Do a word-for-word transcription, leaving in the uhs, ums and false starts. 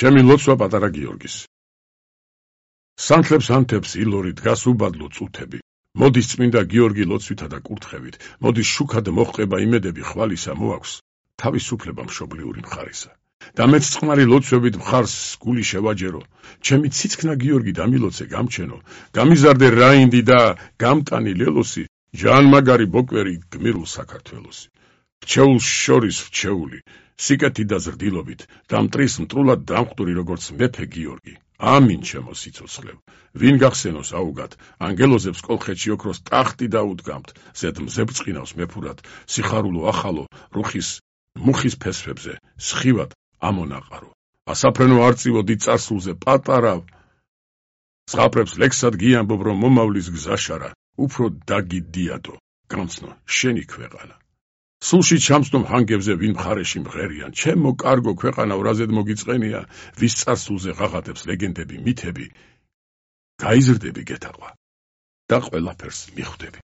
ჩემი ლოცვა პატარა გიორგის. სანთლებს ანთებს ილორი დგას უბადლო წუთები. მოდის წმინდა გიორგი ლოცვითა და კურთხევით, მოდის შუქად მოჰყება იმედები ხვალისა მოაქვს, თავისუფლება მშობლიური მხარისა. და მეც წყნარი ლოცვებით მხარს გული შევაჯერო, ჩემი ციცქნა გიორგი დამილოცე გამჩენო, გამიზარდე რაინდი და გამტანი ლელოსი, ჟანმაგარი ბოკვერი გმირულ საქართველოსი. რჩეულს შორის რჩეული, სიკეთი და ზრდილობით, და მტრის მტრულად დამხვდური როგორც მეფე გიორგი. ამინ ჩემო სიცოცხლევ, ვინ გახსენოს აუგად, ანგელოზებს კოლხეთში ოქროს ტახტი დაუდგამთ, ზედ მზებრწყინავს მეფურად, სიხარულო ახალო, რუხის მუხის ფესვებზე, სხივად ამონაყარო. ასაფრენო არწივო დიდ წარსულზე პატარა, ზღაპრებს ლექსად გიამბობ, რომ მომავლის გზაშარა, უფრო დაგიდიადო, გამცნო შენი ქვეყანა. სულში ჩამსდომ ჰანგებზე ვინ მხარეში მღერიან, ჩემო კარგო ქვეყანა ვრაზედ მოგიწყენია, ვის წარსულზე ღაღადებს ლეგენდები, მითები, გაიზრდები გეთაყვა და ყველაფერს მიხვდები.